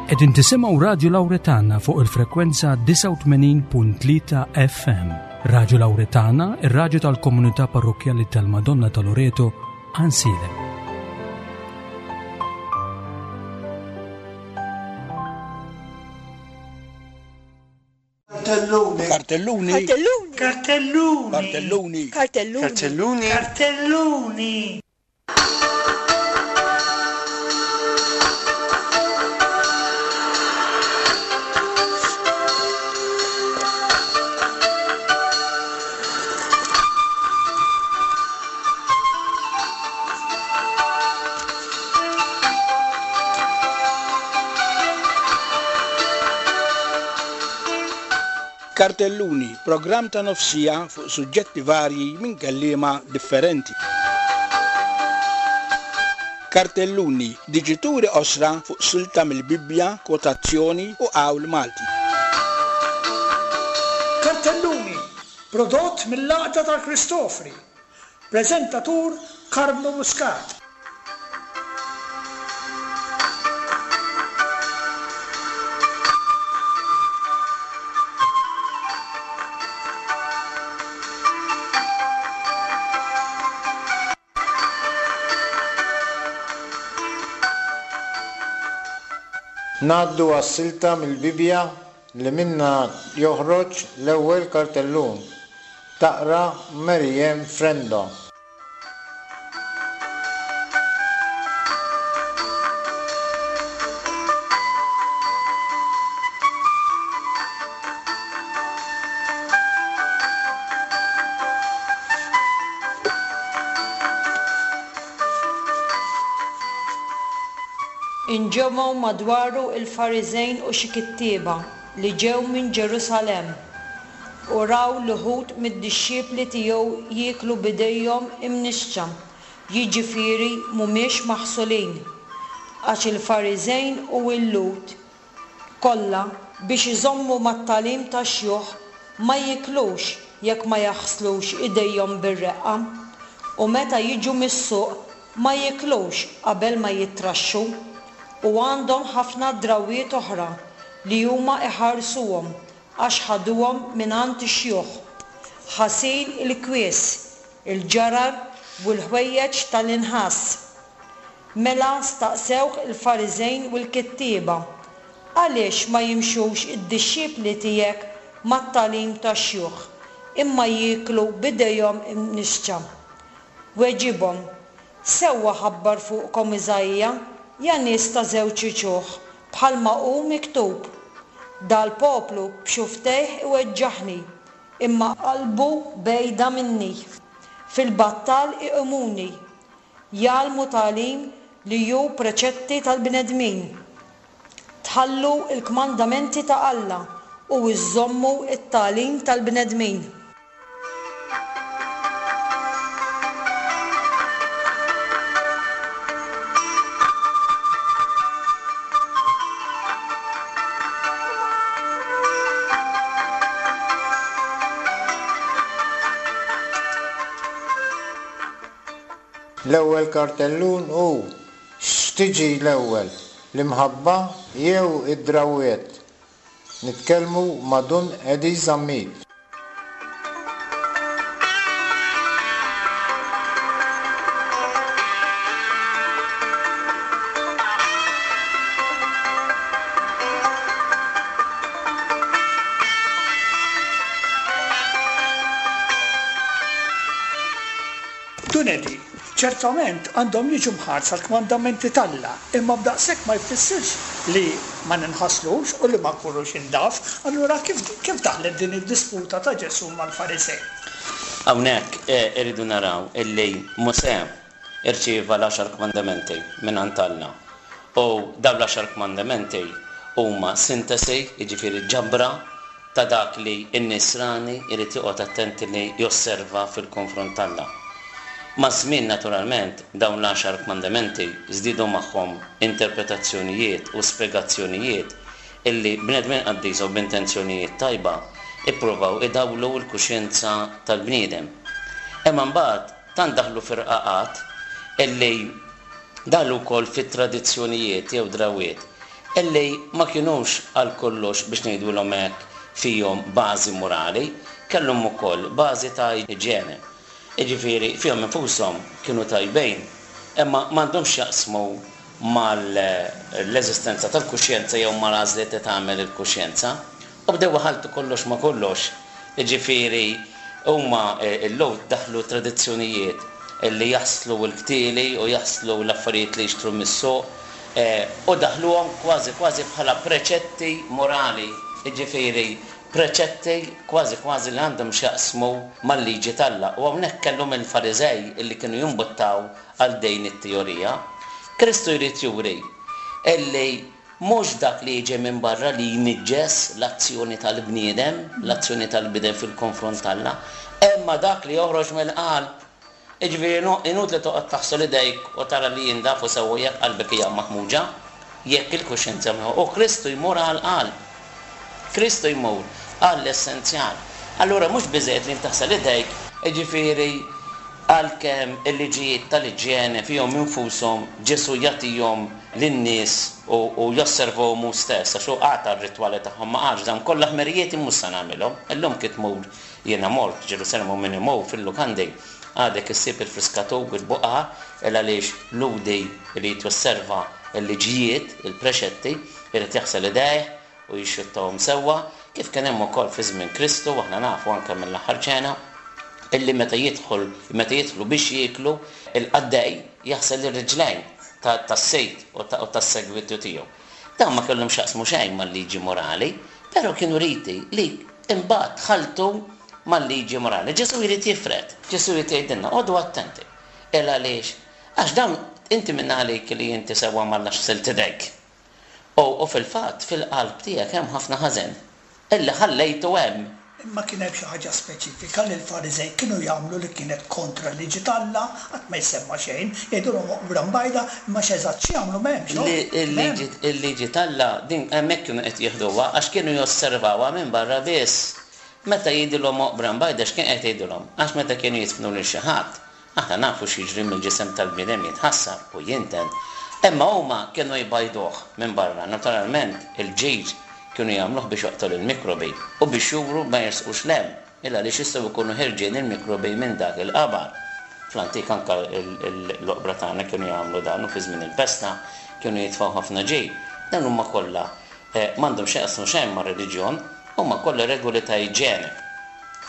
Qegħdin tisimgħu Radju Lawretana fuq il-frekwenza 89.3 FM. Radju Lawretana, ir-radju tal-komunità parrokkjali tal-Madonna ta' Loreto, Ansilem. Kartelluni. Kartelluni. Kartelluni. Kartelluni. Kartelluni. Kartelluni. Kartelluni. Kartelluni, programm ta' nofsija fuq suġġetti varji minn kelliema differenti. Kartelluni, diġituri qosra fuq silta mill-Bibbja, kwotazzjoni u qawl Malti. Kartelluni, prodott mill-Għaqda tal-Kristofri. Preżentatur Karmnu Muscat. Ngħaddu għas-silta mill-Bibbja li minnha joħroġ l-ewwel kartellun. Taqra Mary Ann Frendo. Inġemgħu madwaru l-Fariżejn u xi kittieba li ġew minn Ġerusalemm, u raw l-uħud mid-dixxipli tiegħu jieklu b'idejhom imnixxa, jiġifieri mhumiex maħsulin. Għax il-Fariżejn u l-Lhud kollha, biex iżommu mat-tagħlim tax-xjuħ, ma jiklux jekk ma jaħslux idejhom bir-reqqa, u meta jiġu mis-suq ma jiklux qabel ma jittraxxu, u għandhom ħafna drawwiet oħra li huma iħarsuhom għax ħaduhom mingħand ix-xjuħ, ħasil il-kwies, il-ġarar u l-ħwejjeġ tal-inħas. Mela staqsewh il-Fariżejn u l-kittieba, Għaliex ma jimxux id-dixxipli tiegħek mat-tagħlim tax-xjuħ, imma jieklu b'idejhom imnixxa? Weġibhom, Sewwa ħabbar fuqkom Iżaija, ja nies ta' żewġ uċuħ, bħalma hu miktub, 'Dal-poplu b'xufftejh iweġġaħni, imma qalbu bgħida minni. Fil-battal iqimuni, jgħallmu tagħlim li hu preċetti tal-bnedmin. Tħallu l-kmandamenti ta' Alla u żżommu t-tagħlim tal-bnedmin. L-ewwel kartellun hu X'tiġi l-ewwel, l-imħabba jew id-drawwiet? Nitkellmu ma' Dun Eddie Zammit. Dun Eddie, Ċertament għandhom jiġu mħarsa l-kmandamenti t'Alla, imma b'daqshekk ma jfissirx li ma ninħaslux u li ma nkunux indaf. Allura kif kif daħlet din id-disputa ta' Ġesù mal-Fariżej? Hawnhekk irridu naraw illi Mosè rċieva l-għaxar kmandamenti mingħand Alla. U dawn l-għaxar kmandamenti huma sintesi, jiġifieri ġabra, ta' dak li n-Nisrani jrid joqgħod attent li josserva fil-konfront t'Alla. Maż-żmien naturalment dawn l-għaxar kmandamenti żdiedu magħhom interpretazzjonijiet u spjegazzjonijiet illi bnedmin qaddisa u b'intenzjonijiet tajba ippruvaw idawlu l-kuxjenza tal-bniedem. Imma mbagħad tant daħlu fir-rqaqat illi daħlu wkoll fit-tradizzjonijiet jew drawwiet. illi ma kinux għal kollox, biex ngħidulhom hekk, fihom bażi morali, kellhom ukoll bażi ta' iġene. Jiġifieri fihom infushom kienu tajbin, imma m'għandhomx x'jaqsmu mal-eżistenza tal-kuxjenza jew mal-għażliet li tagħmel il-kuxjenza. U bdew iħalltu kollox ma' kollox. Jiġifieri huma l-Lhud daħħlu tradizzjonijiet li jaħslu l-ktieli u jaħslu l-affarijiet li jixtru mis-suq u daħħluhom kważi kważi bħala preċetti morali, jiġifieri preċetti kważi kważi li għandhom x'jaqsmu mal-liġi t'Alla. U hawnhekk kellhom il-Fariżej illi kienu jimbuttaw għal din it-teorija. Kristu jrid juri illi mhux dak li jiġi minn barra li jniġġes l-azzjoni tal-bniedem, l-azzjoni tal-bniedem fil-konfront t'Alla, imma dak li joħroġ mill-qalb. Jiġifieri inutli toqgħod taħsel idejk u tara li jindafu sewwa jekk qalbek hija maħmuġa, jekk il-kuxjenza mhi. U Kristu jmur għall-qalb. Kristu jmur għall-essenzjal. Allura mhux biżżejjed li int taħsel idejk, jiġifieri għalkemm il-liġijiet tal-iġjene fihom infushom Ġesù jagħtihom lin-nies u josservahom hu stess, għax hu qata' r-ritwali tagħhom, ma qalx dawn kollha ħmerijiet mhux se nagħmilhom. Illum kif tmur, jiena mort Ġerusalemm u min imur fil-lukandi għadek issib il-friskatur u l-buqar, il għaliex Lhudi jrid josserva l-liġijiet, il-preċetti, irid jaħsel idejh u jixxuttahom sewwa, kif kien hemm ukoll fi żmien Kristu, aħna nafu anke mill-Aħħar Ċena, illi meta jidħol, meta jidħlu biex jieklu, il-qaddej jaħsel ir-riġlejn tas-sid u tas-segwitu tiegħu. Dawn ma kellhom x'jaqsmu xejn mal-liġi morali, però kienu riti li imbagħad tħalltu mal-liġi morali. Ġesù jrid jifred, Ġesù jrid jgħidilna, Qogħdu attenti. Il għaliex? Għax dawn inti minn għalik li inti sewwa m'Alla x'ħsilt idejk. U u fil-fatt fil-qalb tiegħek hemm ħafna ħażen illi ħallejtu hemm. Imma kien hemm xi ħaġa speċifika li l-Fariżej kienu jagħmlu li kienet kontra l-liġi t'Alla? Qatt ma jissemma xejn. Jgħidulhom oqbra mbajda, imma x'eżatt x'jagħmlu m'hemmx, oh! M'hemm. Il-liġi t'Alla din hemmhekk kienu qed jieħduha għax kienu josservawha minn barra biss. Meta jgħidilhom oqbra mbajda x'kien qed jgħidilhom? Għax meta kienu jidfnu lil xi ħadd, Aħna nafu x'jiġri mill-ġisem tal-bniedem jitħassar u jinten. Imma huma kienu jbajduh minn barra. Naturalment, il-ġir kienu jagħmluh biex joqtol il-mikrobi u biex juru ma jersqux 'l hemm, il għaliex jistgħu jkunu ħerġin il-mikrobi minn dak il-qabar. Fl-antik anke l-oqbra tagħna kienu jagħmlu dan u fi żmien il-pesta kienu jitfgħu ħafna ġir. Dawn huma kollha m'għandhom x'jaqsmu xejn mar-reliġjon, huma kollha regoli ta' iġene.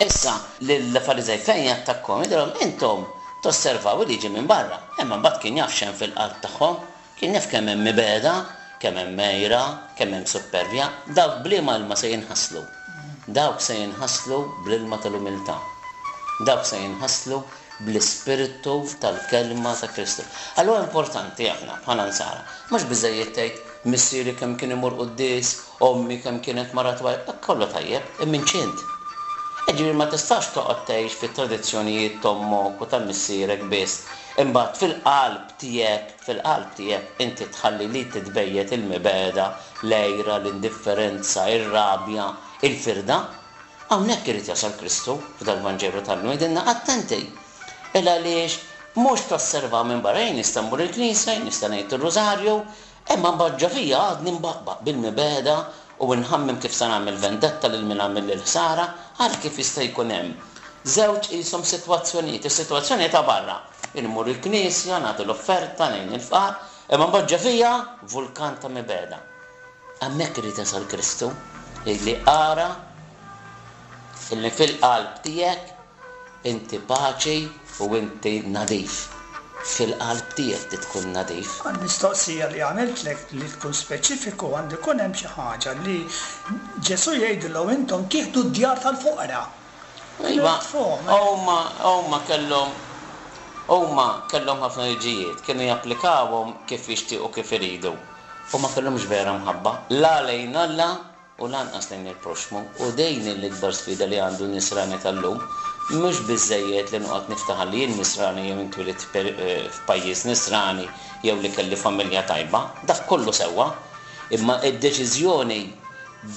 Issa, lill-Fariżej fejn jattakkhom, jgħidilhom, Intom tosservaw il-liġi minn barra. Imma mbagħad kien jaf x'hemm fil-qalb tagħhom. Kien jaf kemm hemm mibegħda, kemm hemm għira, kemm hemm suppervja. Dawk b'liema ilma se jinħaslu? Dawk se jinħaslu bl-ilma tal-umiltà. Dawk se jinħaslu bl-ispirtu tal-kelma ta' Kristu. Allura importanti aħna bħala Nsara, mhux biżżejjed tgħid, missieri kemm kien imur quddies, Ommi kemm kienet mara twajba, dak kollu tajjeb, imma inċint. Jiġifieri ma tistax toqgħod tgħix fit-tradizzjonijiet t'ommok u ta' missierek biss, imbagħad fil-qalb tiegħek, fil-qalb tiegħek inti tħalli li titbejjet il-mibegħda, l-għira, l-indifferenza, ir-rabja, il-firda. Hawnhekk irid jasal Kristu f'dal-Vanġelu tal-lum jgħidilna attenti! Il għaliex mhux tosservaw minn barra, jien nista' mmur il-knisja, jien nista' ngħid ir-rużarju, Imma mbagħad ġo fija għadni nbaqbaq bil-mibegħda u nħammem kif se nagħmel vendetta lil min għamilli l-ħsara, ara kif jista' jkun hemm żewġ qishom sitwazzjonijiet, is-sitwazzjoni ta' barra, inmur il-knisja, nagħti l-offerta, ngħin il-fqar, imma mbagħad ġo fija vulkan ta' mibegħda. Hemmhekk irid jasal Kristu, jgħidli ara illi fil-qalb tiegħek Inti paċi u inti nadif. Fil-qalb tiegħek trid tkun nadif. Għall-mistoqsija li għamiltlek li tkun speċifiku għandu jkun hemm xi ħaġa li Ġesù jgħidilhom intom tieħdu d-djar tal-foqra. Iva, huma huma kellhom huma kellhom ħafna liġijiet, kienu japplikawhom kif jixtiequ kif iridu u ma kellhomx vera mħabba, la lejn Alla u lanqas lejn il-proxxmu, u din hi l-ikbar sfida li għandu n-Nisrani tal-lum. Mhux biżżejjed li noqgħod niftaħar li jien Nisrani jew intwilidt f'pajjiż Nisrani jew li kelli familja tajba, dak kollu sewwa, imma d-deċiżjoni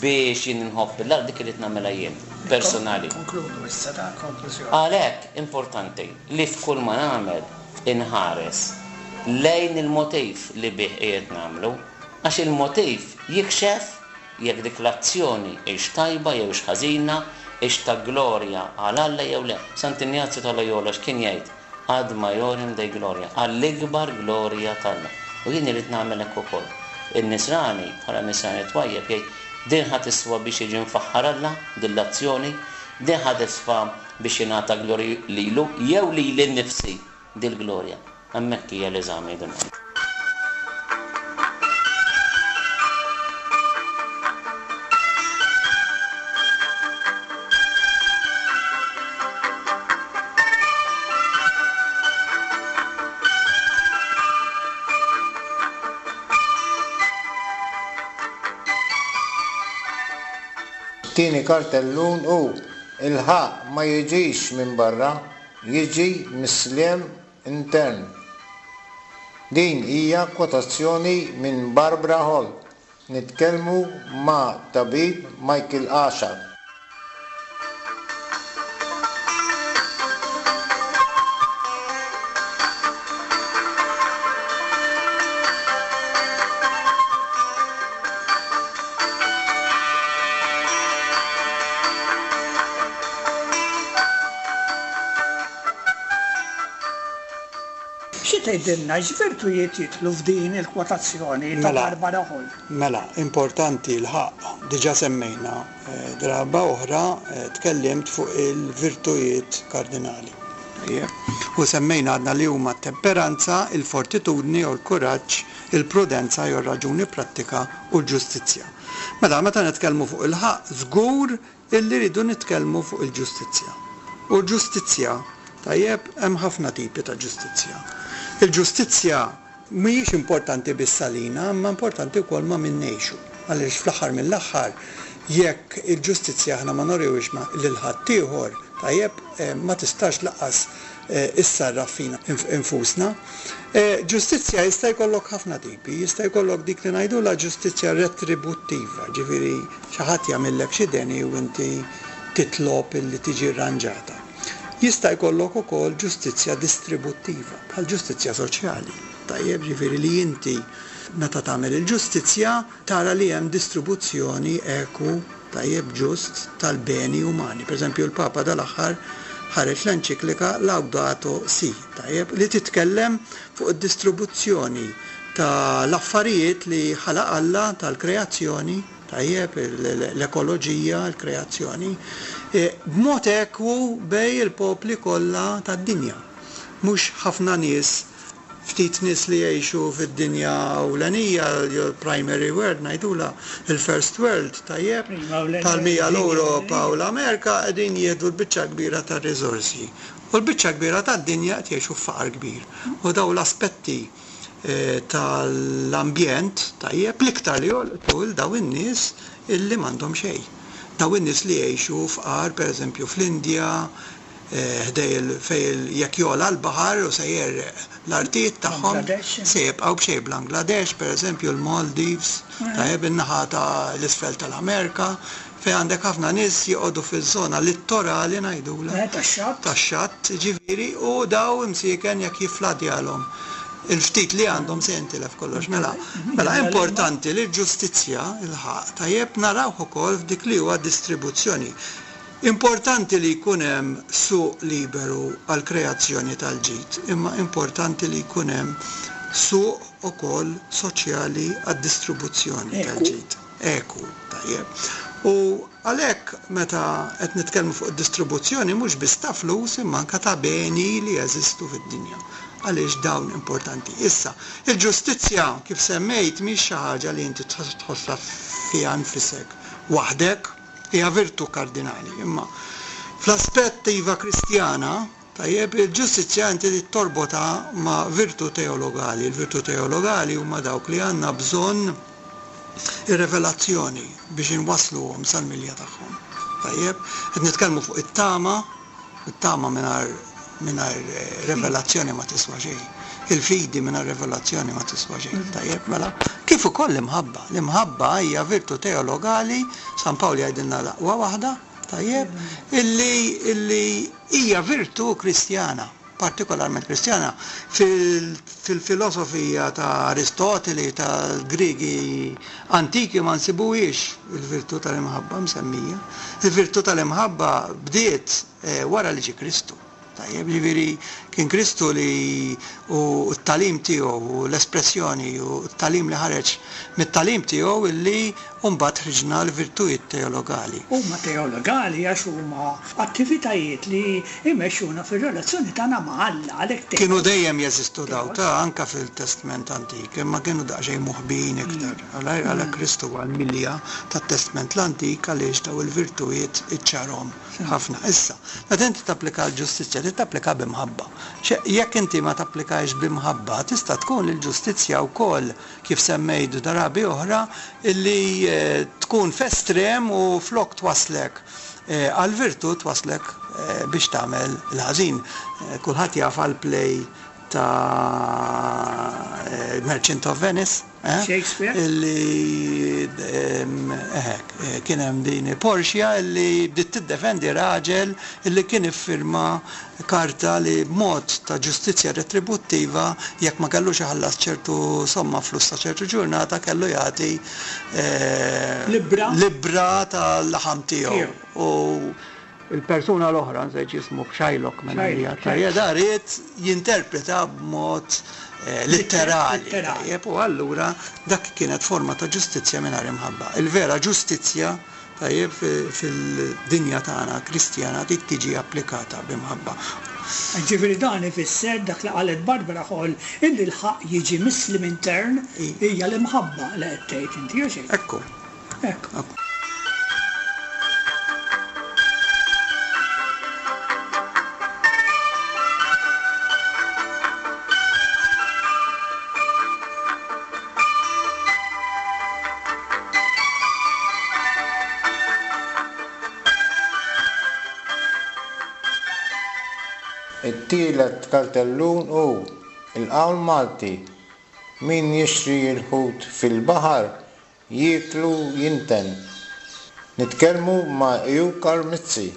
biex jien inħobb 'l Alla dik irrid nagħmilha jien, personali. Nikkonkludu issa, ta' konklużjoni. Għalhekk importanti li f'kull ma nagħmel inħares lejn il-motiv li bih qiegħed nagħmlu. Għax il-motiv jikxef jekk dik l-azzjoni hix tajba jew hix ħażina, hix ta' glorja għal Alla jew le. Sant'Injazju ta' Loyola x'kien jgħid? Ad maiorem Dei gloria, għall-ikbar glorja t'Alla. U jien irrid nagħmel hekk ukoll. In-Nisrani, bħala Nisrani twajjeb, jgħid, din ħa tiswa biex jiġi mfaħħar Alla, din l-azzjoni, din ħa tiswa biex jingħata glorja lilu jew lili nnifsi dil-glorja. Hemmhekk hija l-eżami Dun Anġ. It-tieni kartellun hu, Il-ħaqq ma jiġix minn barra, jiġi mis-sliem intern. Din hija kwotazzjoni minn Barbara Hall. Nitkellmu ma' tabib Michael Asha. Xi tgħidilna x'virtujiet jidħlu f'din il-kwotazzjoni ta' Mela, Barbara Hall? mela, importanti l-ħaqq, diġà semmejna draba oħra tkellimt fuq il-virtujiet kardinali. Tajjeb. U semmejna għadna li huma t-temperanza, il-fortitudni jew il-kuraġġ, il-prudenza jew ir-raġuni prattika u l-ġustizzja. Mela, meta nitkellmu fuq il-ħaqq, żgur Illi rridu nitkellmu fuq il-ġustizzja. U l-ġustizzja, tajjeb, hemm ħafna tipi ta' ġustizzja. Il-ġustizzja mhijiex importanti biss għalina, imma importanti wkoll ma' min ngħixu. Għaliex fl-aħħar mill-aħħar, jekk il-ġustizzja aħna ma nuriwhiex ma' lil ħaddieħor, tajjeb, ma tistax lanqas issarraf fina nfusna. Ġustizzja jista' jkollok ħafna tipi. Jista' jkollok dik li ngħidulha ġustizzja retributtiva, ġifieri Xi ħadd jagħmillek xi deni u inti titlob illi tiġi rranġata. Jista' jkollok ukoll ġustizzja distributtiva, bħal ġustizzja soċjali. Tajjeb, ġifieri li inti meta tagħmel il-ġustizzja tara li hemm distribuzzjoni eku, tajjeb, ġust tal-beni umani. Pereżempju l-Papa dal-aħħar ħareġ l-enċiklika Laudato Si', tajjeb, li titkellem fuq id-distribuzzjoni ta' l-affarijiet li ħalaq Alla, tal-kreazzjoni, tajjeb, l-ekoloġija, l-kreazzjoni, b'mod ekwu bejn il-popli kollha tad-dinja. Mhux ħafna nies, ftit nies li jgħixu fid-dinja ewlenija, l-primary world ngħidulha, il-first world, tajjeb, bħal m'hija l-Ewropa u l-Amerika qegħdin jieħdu l-biċċa l-kbira tar-riżorsi. U l-biċċa l-kbira tad-dinja qed jgħixu f'faqar kbir. U dawn l-aspetti tal-ambjent, tajjeb, l-iktar li jolqtu 'l dawn in-nies illi m'għandhom xejn. Dawn in-nies li jgħixu fqar, pereżempju fl-Indja, ħdej il fejn jekk jogħla l-baħar u se jgħerreq l-artijiet tagħhom, se jibqgħu b'xejn. Bangladesh, pereżempju, l-Maldives, tajjeb, in-naħa ta' l-isfel tal-Amerika, Fejn għandek ħafna nies joqogħdu fiż-żona littorali ngħidulha. Tax-xatt. Tax-xatt, jiġifieri, u daw imsieken jekk jiffladjalhom il-ftit li għandhom se jintilef kollox. Mela, mela importanti li l-ġustizzja, il-ħaqq, tajjeb, narawh ukoll f'dik li huwa distribuzzjoni. Importanti li jkun hemm suq liberu għall-kreazzjoni tal-ġid, imma importanti li jkun hemm suq ukoll soċjali għad-distribuzzjoni tal-ġid. Ekwu, tajjeb. U għalhekk meta qed nitkellmu fuq id-distribuzzjoni mhux biss ta' flus imma anke ta' beni li jeżistu fid-dinja. Għaliex dawn importanti. Issa, il-ġustizzja kif semmejt mhix xi ħaġa li inti tħossha fiha nfisek waħdek, hija virtù kardinali, imma fl-aspett iva Kristjana, Tajjeb, il-ġustizzja inti trid torbotha ma' virtù teologali. Il-virtù teologali huma dawk li għandna bżonn ir-revelazzjoni biex inwassluhom sal-milja tagħhom. Tajjeb, qed nitkellmu fuq it-tama, it-tama mingħajr mingħajr revelazzjoni ma tiswa xejn. Il-fidi mingħajr revelazzjoni ma tiswa xejn. Tajjeb, mela, kif ukoll l-imħabba. L-imħabba hija virtù teologali, San Pawl jgħidilna l-aqwa waħda, tajjeb, illi illi hija virtù Kristjana. partikolarment Kristjana. Fil-filosofija ta' Aristoteli, tal-Griegi antiki ma nsibuhiex il-virtù tal-imħabba msemmija. Il-virtù tal-imħabba bdiet wara li ġie Kristu. Tajjeb, jiġifieri kien Kristu li u t-tagħlim tiegħu u l-espressjoni u t-tagħlim li ħareġ mit-tagħlim tiegħu illi mbagħad ħriġna l-virtujiet teologali. Huma teologali għax huma attivitajiet li jmexxuna fir-relazzjoni tagħna ma' Alla, għalhekk teo. Kienu dejjem jeżistu dawn ta' anke fil-Testment Antik, imma kienu daqsxejn moħbijin iktar. Għalhekk Kristu huwa l-milja tat-Testment l-Antik għaliex dawn il-virtujiet iċċarhom. Ħafna. Issa, meta inti tapplika l-ġustizzja, trid tapplika bi mħabba. Jekk inti ma tapplikahiex bi mħabba, tista' tkun li l-ġustizzja wkoll, kif semmejt drabi oħra, li tkun f'estrem u flok twasslek għall-virtù twasslek biex tagħmel il-ħażin. Kulħadd jaf għall-play ta' Merchant of Venice, eh? Shakespeare. Illi eħe, kien hemm din Portia illi bdiet tiddefendi raġel illi kien iffirma karta li b'mod ta' ġustizzja retributtiva jekk ma kellux iħallas ċertu somma flus ta' ċertu ġurnata kellu jagħti Libbra. libbra tal-laħam tiegħu. U Il-persuna l-oħra, nsejt x'jismu, Shylock minn għalija, tajjeb, da ried jinterpreta b'mod litterali, tajjeb, u allura dak kienet forma ta' ġustizzja mingħajr imħabba. Il-vera ġustizzja, tajjeb, fil-dinja tagħna Kristjana trid tiġi applikata b'imħabba. Ġifieri dan ifisser dak li qalet Barbara Hall illi l-ħaqq jiġi mis-sliem intern hija l-imħabba li qed tgħid inti, hux hekk? Ekku. Ekku. It-tielet kartellun hu l-qawl Malti, Min jixtri l-ħut fil-baħar Jieklu jinten. Nitkellmu ma' Eukar Mizzi.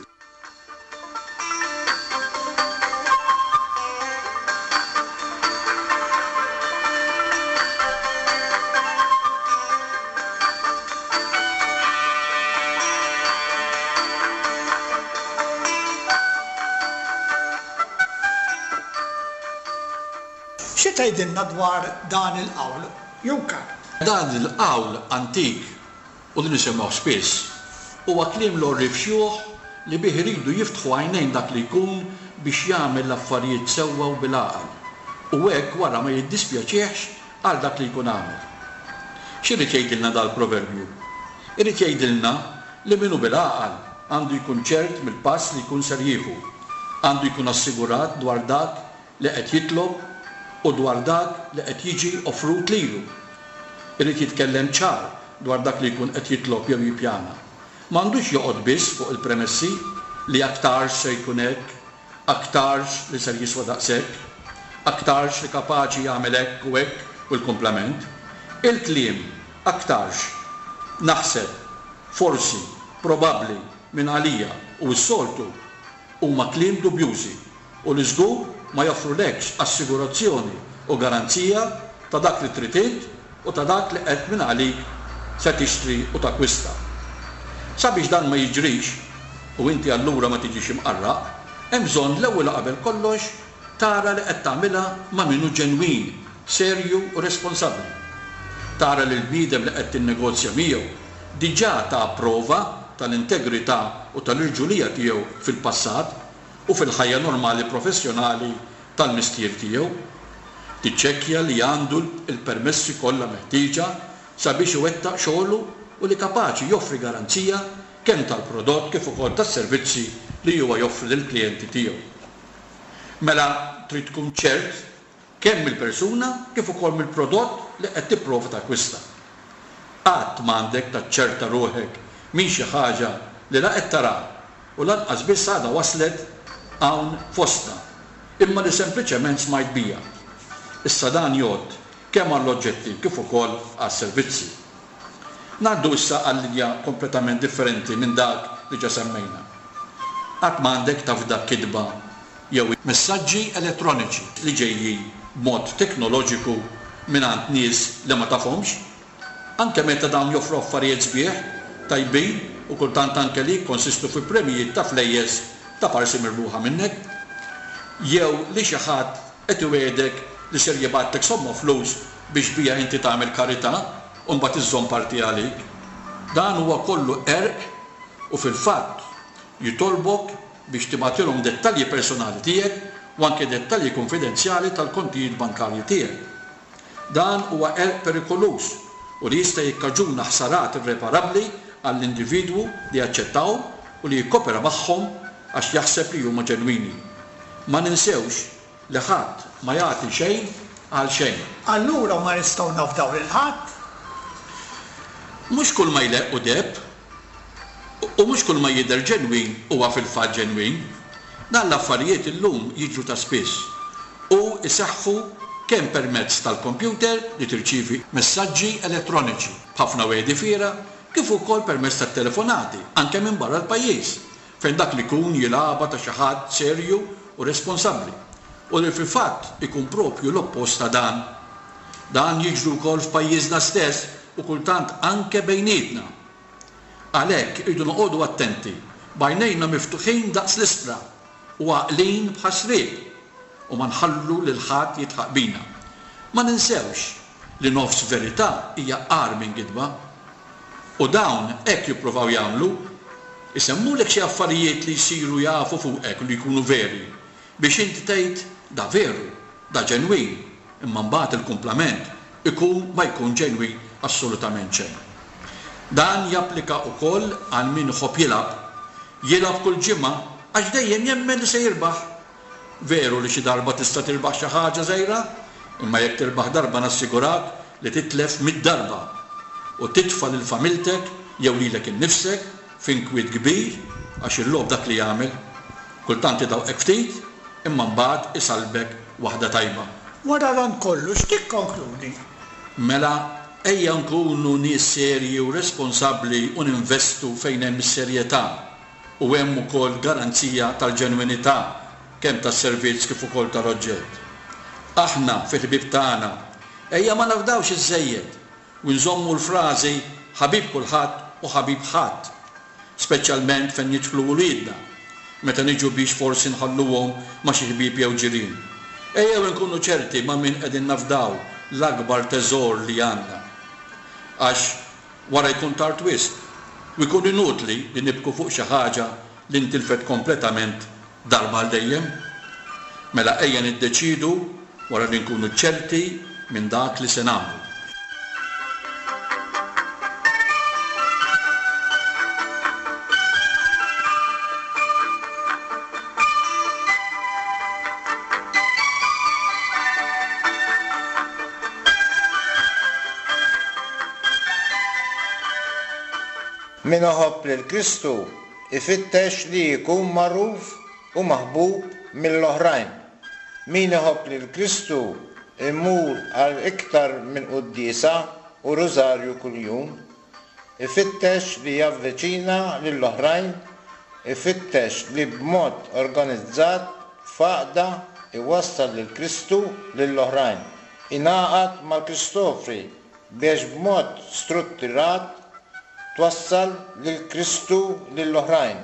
Xi tgħidilna dwar dan il-qawl, Eukar? Dan il-qawl antik, u li nisimgħuh spiss, huwa kliem l-għorrief xjuħ li bih iridu jiftħu għajnejn dak li jkun biex jagħmel l-affarijiet sewwa u bil-għaqal, u hekk wara ma jiddispjaċihx għal dak li jkun għamel. X'irid jgħidilna dal-proverbju? Irid jgħidilna li min hu bil-għaqal għandu jkun ċert mill-pass li jkun ser jieħu, għandu jkun assigurat dwar dak li qed jitlob u dwar dak li qed jiġi offrut lilu. Irid jitkellem ċar dwar dak li jkun qed jitlob jew jippjana. M'għandux joqgħod biss fuq il-premessi li aktarx se jkun hekk, aktarx li ser jiswa daqshekk, aktarx li kapaċi jagħmel hekk u hekk u l-kumplament. Il-kliem aktarx, naħseb, forsi, probabbli, minn għalija u s-soltu huma kliem dubjużi u li żgur ma joffrulekx assigurazzjoni u garanzija ta' dak li trid int u ta' dak li qed mingħalik se tixtri u takkwista. Sabiex dan ma jiġrix, u inti allura ma tiġix imqarraq, hemm bżonn l-ewwel u qabel kollox tara li qed tagħmilha ma' min hu ġenwin, serju u responsabbli. Tara li l-bniedem li qed tinnegozja miegħu diġà ta prova tal-integrità u tal-irġulija tiegħu fil-passat u fil-ħajja normali professjonali tal-mestier tiegħu. Tiċċekkja li għandu l-permessi kollha meħtieġa sabiex iwettaq xogħlu u li kapaċi joffri garanzija kemm tal-prodott kif ukoll tas-servizzi li huwa joffri lill-klijenti tiegħu. Mela trid tkun ċert kemm mill-persuna kif ukoll mill-prodott li qed tipprova takkwista. Qatt m'għandek taċċerta ruħek minn xi ħaġa li la qed taraha u lanqas biss għadha waslet hawn fostna, imma li sempliċement smajt biha. Issa dan jgħodd kemm għall-oġġetti kif ukoll għas-servizzi. Ngħaddu issa għal linja kompletament differenti minn dak li ġa semmejna. Qatt m'għandek tafda kitba. Jew messaġġi elettroniċi li ġejjin b'mod teknoloġiku mingħand nies li ma tafhomx, anke meta dawn joffru affarijiet sbieħ, tajbin u kultant anke li jikkonsistu fi premjijiet ta' flejjes taparsi mirbuħa minnek. Jew li xi ħadd qed iwiegħdek li ser jibgħatlek somma flus biex biha inti tagħmel karità u mbagħad iżżomm parti għalik. Dan huwa kollu qerq u fil-fatt jitolbok biex tibgħatilhom dettalji personali tiegħek u anke dettalji kunfidenzjali tal-kontijiet bankarji tiegħek. Dan huwa qerq perikoluż u li jista' jikkaġuna ħsarat irreparabbli għall-individwu li jaċċettahom u li jikkopera magħhom għax jaħseb li huma ġenwini. Ma ninsewx li ħadd ma jagħti xejn għal xejn. Allura ma nistgħu nafdaw lil ħadd? Mhux kull ma jleqq hu deheb. U mhux kull ma jidher ġenwin huwa fil-fatt ġenwin. Dan l-affarijiet illum jiġru ta' spiss u jseħħu kemm permezz tal-kompjuter li tirċievi messaġġi elettroniċi b'ħafna wegħdi fiergħa kif ukoll permezz tat-telefonati anke minn barra l-pajjiż fejn dak li jkun jilgħabha ta' xi ħadd serju u responsabbli u li fil-fatt ikun proprju l-oppost ta' dan. Dan jiġri wkoll f'pajjiżna stess u kultant anke bejnietna. Għalhekk irridu noqogħdu attenti, b'għajnejna miftuħin daqs l-ispra u għaqlin bħas-sriep, u ma nħallu lil ħadd jidħaq bina. Ma ninsewx li nofs verità hija agħar minn gidba. U dawn hekk jippruvaw jagħmlu, isemmulek xi affarijiet li jsiru jafu fuqek u li jkunu veri, biex inti tgħid da veru, da ġenwin, imma mbagħad il-kumplament ikun ma jkun ġenwin assolutament xejn. Dan japplika ukoll għal min iħobb jilgħab. Jilgħab kull ġimgħa għax dejjem jemmen li se jirbaħ. Veru li xi darba tista' tirbaħ xi ħaġa żgħira, imma jekk tirbaħ darba nassigurak li titlef mitt darba u titfa' lil familtek jew lilek innifsek f'inkwiet kbir għax il-logħob dak li jagħmel. Kultant idawqek ftit imma mbagħad isallbek waħda tajba. Wara dan kollu x'tikkonkludi? Mela ejja nkunu nies serji u responsabbli u ninvestu fejn hemm is-serjetà u hemm ukoll garanzija tal-ġenwinità kemm tas-servizz kif ukoll tal-oġġett. Aħna, fil-ħbieb tagħna, ejja ma nafdawx iżżejjed u nżommu l-frażi ħabib kulħadd u ħabib ħadd, speċjalment fejn jidħlu uliedna, meta niġu biex forsi nħalluhom ma' xi ħbieb jew ġirien. Ejjew inkunu ċerti ma' min qegħdin nafdaw l-akbar teżor li għandna. Għax wara jkun tard wisq u jkun inutli li nibku fuq xi ħaġa li ntilfet kompletament darba għal dejjem. Mela ejja niddeċiedu wara li nkunu ċerti minn dak li se nagħmlu. Min iħobb lil Kristu ifittex li jkun magħruf u maħbub mill-oħrajn. Min iħobb lil Kristu jmur għal iktar minn quddiesa u rużarju kuljum. Ifittex li javviċina lill-oħrajn, ifittex li b'mod organizzat f'għaqda jwassal lil Kristu lill-oħrajn. Ingħaqad mal-Kristofri biex b'mod struttirat twassal lil Kristu lill-oħrajn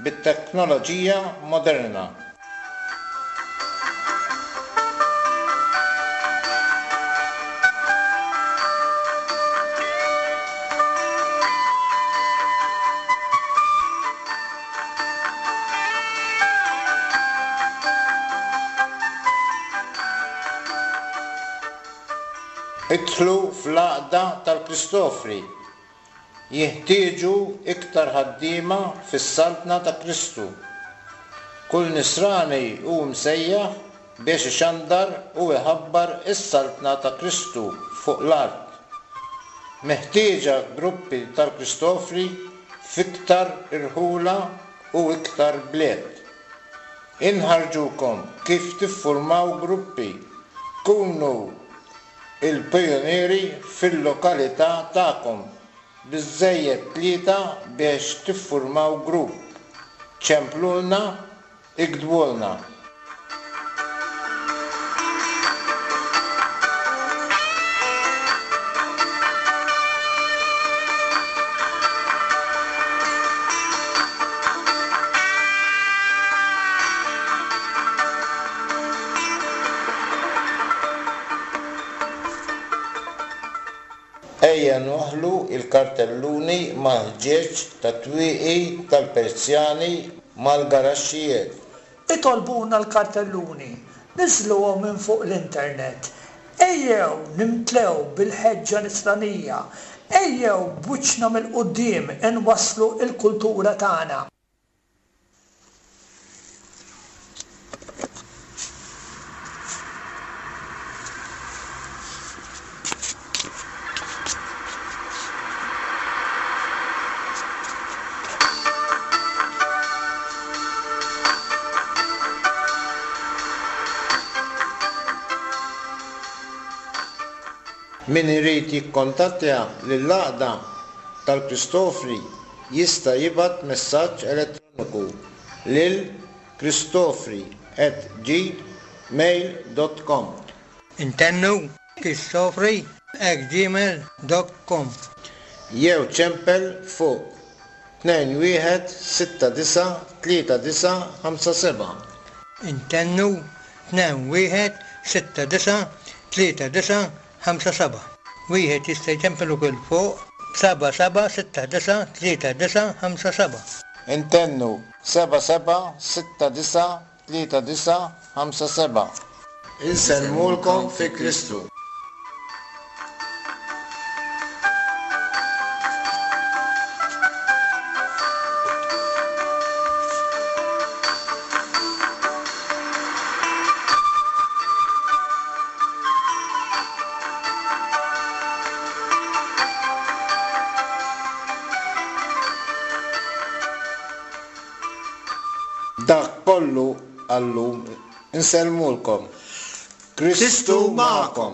bit-teknoloġija moderna. Idħlu fl-għaqda tal-Kristofri. Jinħtieġu iktar ħaddiema fis-Saltna ta' Kristu. Kull Nisrani hu msejjaħ biex ixandar u jħabbar is-Saltna ta' Kristu fuq l-art. Meħtieġa gruppi tal-Kristofri f'iktar irħula u iktar bliet. Inħarrġukom kif tiffurmaw gruppi. Kunu il-pijunieri fil-lokalità tagħkom. Biżżejjed tlieta biex tiffurmaw grupp. Ċemplulna, iktbulna. Ejja nwaħħlu l-kartelluni mal-ħġieġ tat-twieqi tal-persjani mal-garaxxijiet. Itolbuna l-kartelluni, niżżluhom minn fuq l-internet. Ejjew nimtlew bil-ħeġġa nisranija. Ejjew b'wiċċna mill-quddiem inwasslu l-kultura tagħna. Min irid jikkontattja lill-Għaqda tal-Kristofri jista' jibgħat messaġġ elettroniku lil kristofri at gmail dot com. Intennu, kristofri at gmail dot com. Jew ċempel fuq 2169 3957. Intennu, 2169 3957. Wieħed jista' jċempel ukoll fuq 7769 3957. Intennu, 7769 3957. Insellmulkom fi Kristu. Dak kollu għal-lum. Insellmulkom. Kristu magħkom.